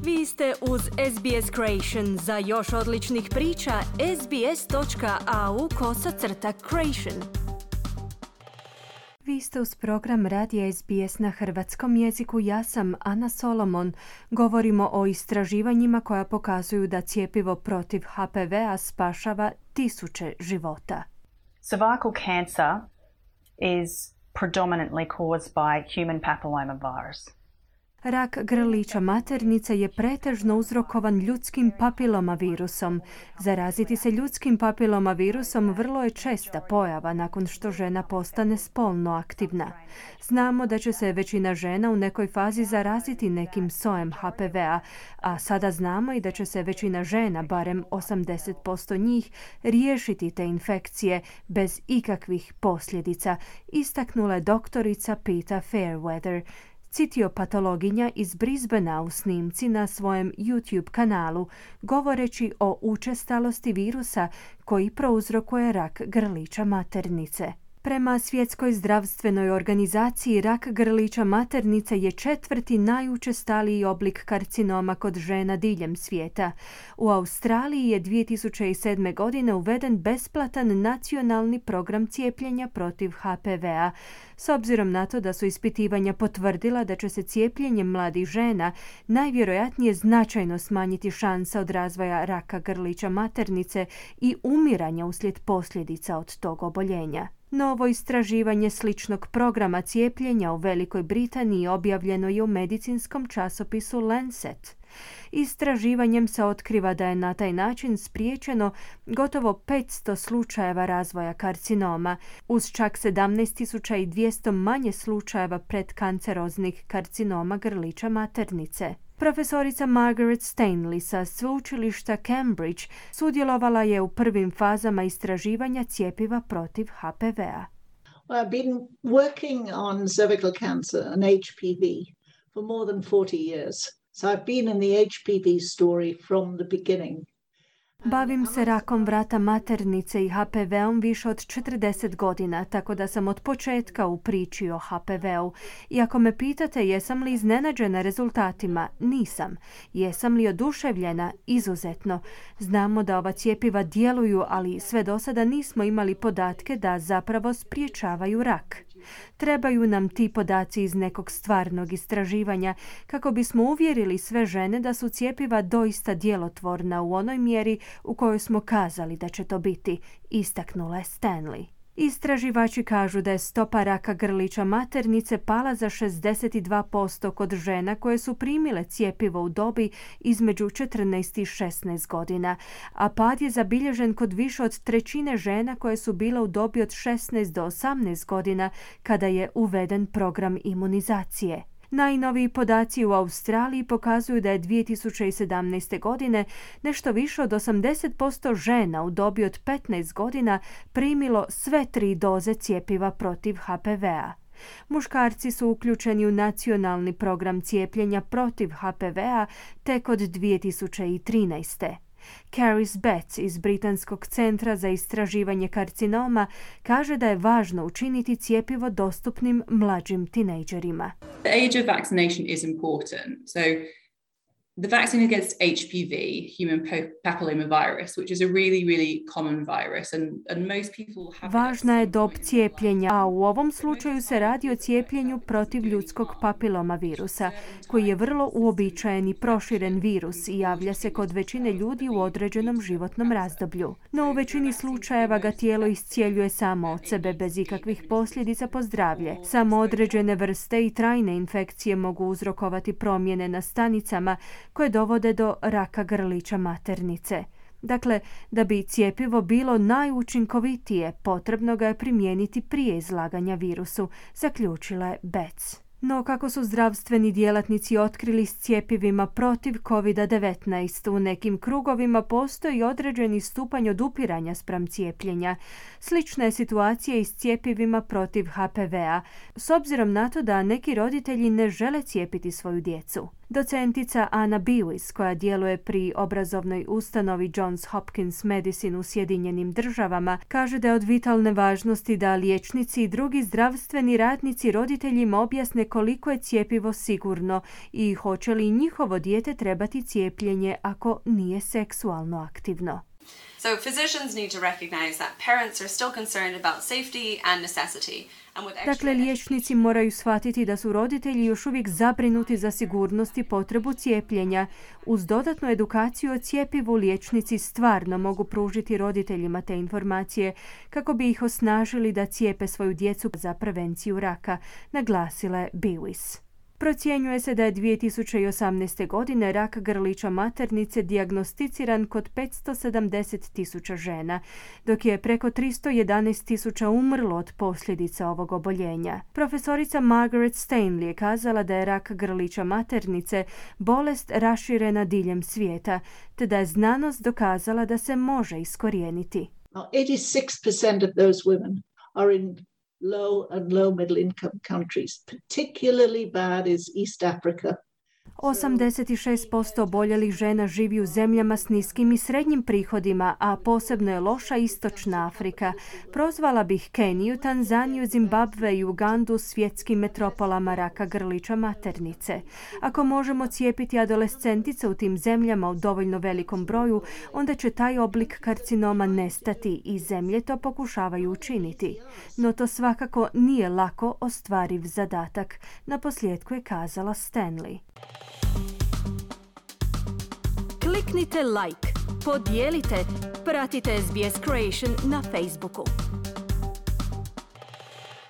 Vi ste uz SBS Creation. Za još odličnih priča, sbs.au/creation. Vi ste uz program Radija SBS na hrvatskom jeziku. Ja sam Ana Solomon. Govorimo o istraživanjima koja pokazuju da cjepivo protiv HPV-a spašava 1000 života. Cervical cancer is predominantly caused by human papillomavirus. Rak grlića maternice je pretežno uzrokovan ljudskim papilomavirusom. Zaraziti se ljudskim papilomavirusom vrlo je česta pojava nakon što žena postane spolno aktivna. Znamo da će se većina žena u nekoj fazi zaraziti nekim sojem HPV-a, a sada znamo i da će se većina žena, barem 80% njih, riješiti te infekcije bez ikakvih posljedica, istaknula je doktorica Peta Fairweather, citiopatologinja iz Brisbanea u snimci na svojem YouTube kanalu, govoreći o učestalosti virusa koji prouzrokuje rak grlića maternice. Prema Svjetskoj zdravstvenoj organizaciji, rak grlića maternice je 4. najučestaliji oblik karcinoma kod žena diljem svijeta. U Australiji je 2007. godine uveden besplatan nacionalni program cijepljenja protiv HPV-a. S obzirom na to da su ispitivanja potvrdila da će se cijepljenjem mladih žena najvjerojatnije značajno smanjiti šansa od razvoja raka grlića maternice i umiranja uslijed posljedica od tog oboljenja. Novo istraživanje sličnog programa cijepljenja u Velikoj Britaniji objavljeno je u medicinskom časopisu Lancet. Istraživanjem se otkriva da je na taj način spriječeno gotovo 500 slučajeva razvoja karcinoma, uz čak 17.200 manje slučajeva predkanceroznih karcinoma grlića maternice. Profesorica Margaret Stanley sa sveučilišta Cambridge sudjelovala je u prvim fazama istraživanja cjepiva protiv HPV-a. Well, I've been working on cervical cancer and HPV for more than 40 years. So I've been in the HPV story from the beginning. Bavim se rakom vrata maternice i HPV-om više od 40 godina, tako da sam od početka u priči o HPV-u. I ako me pitate jesam li iznenađena rezultatima, nisam. Jesam li oduševljena? Izuzetno. Znamo da ova cjepiva djeluju, ali sve do sada nismo imali podatke da zapravo spriječavaju rak. Trebaju nam ti podaci iz nekog stvarnog istraživanja kako bismo uvjerili sve žene da su cjepiva doista djelotvorna u onoj mjeri u kojoj smo kazali da će to biti, istaknula je Stanley. Istraživači kažu da je stopa raka grlića maternice pala za 62% kod žena koje su primile cjepivo u dobi između 14 i 16 godina, a pad je zabilježen kod više od trećine žena koje su bile u dobi od 16 do 18 godina kada je uveden program imunizacije. Najnoviji podaci u Australiji pokazuju da je 2017. godine nešto više od 80% žena u dobi od 15 godina primilo sve 3 doze cjepiva protiv HPV-a. Muškarci su uključeni u nacionalni program cijepljenja protiv HPV-a tek od 2013. Caris Betts iz Britanskog centra za istraživanje karcinoma kaže da je važno učiniti cjepivo dostupnim mlađim tinejdžerima. The age of vaccination is important. So the vaccine against HPV, human papillomavirus, which is a really, really common virus, and most people have. Važna je dob cijepljenja, a u ovom slučaju se radi o cijepljenju protiv ljudskog papilomavirusa, koji je vrlo uobičajen i proširen virus i javlja se kod većine ljudi u određenom životnom razdoblju. No u većini slučajeva ga tijelo iscijeljuje samo od sebe bez ikakvih posljedica po zdravlje. Samo određene vrste i trajne infekcije mogu uzrokovati promjene na stanicama koje dovode do raka grlića maternice. Dakle, da bi cjepivo bilo najučinkovitije, potrebno ga je primijeniti prije izlaganja virusu, zaključila je Betts. No kako su zdravstveni djelatnici otkrili s cjepivima protiv COVID-19, u nekim krugovima postoji određeni stupanj odupiranja spram cijepljenja. Slična je situacija i s cjepivima protiv HPV-a, s obzirom na to da neki roditelji ne žele cijepiti svoju djecu. Docentica Anna Bewis, koja djeluje pri obrazovnoj ustanovi Johns Hopkins Medicine u Sjedinjenim Državama, kaže da je od vitalne važnosti da liječnici i drugi zdravstveni radnici roditeljima objasne koliko je cjepivo sigurno i hoće li njihovo dijete trebati cijepljenje ako nije seksualno aktivno. So physicians need to recognize that parents are still concerned about safety and necessity. Dakle, liječnici moraju shvatiti da su roditelji još uvijek zabrinuti za sigurnost i potrebu cijepljenja. Uz dodatnu edukaciju o cjepivu, liječnici stvarno mogu pružiti roditeljima te informacije kako bi ih osnažili da cijepe svoju djecu za prevenciju raka, naglasila je Bewis. Procjenjuje se da je 2018. godine rak grlića maternice dijagnosticiran kod 570.000 žena, dok je preko 311.000 umrlo od posljedica ovog oboljenja. Profesorica Margaret Stanley je kazala da je rak grlića maternice bolest raširena diljem svijeta, te da je znanost dokazala da se može iskorijeniti. 86% of those women are in low and low middle income countries. Particularly bad is East Africa. 86% oboljelih žena živi u zemljama s niskim i srednjim prihodima, a posebno je loša istočna Afrika. Prozvala bih Keniju, Tanzaniju, Zimbabve i Ugandu svjetskim metropolama raka grlića maternice. Ako možemo cijepiti adolescentice u tim zemljama u dovoljno velikom broju, onda će taj oblik karcinoma nestati i zemlje to pokušavaju učiniti. No to svakako nije lako ostvariv zadatak, naposljetku je kazala Stanley. Kliknite like, podijelite, pratite SBS Creation na Facebooku.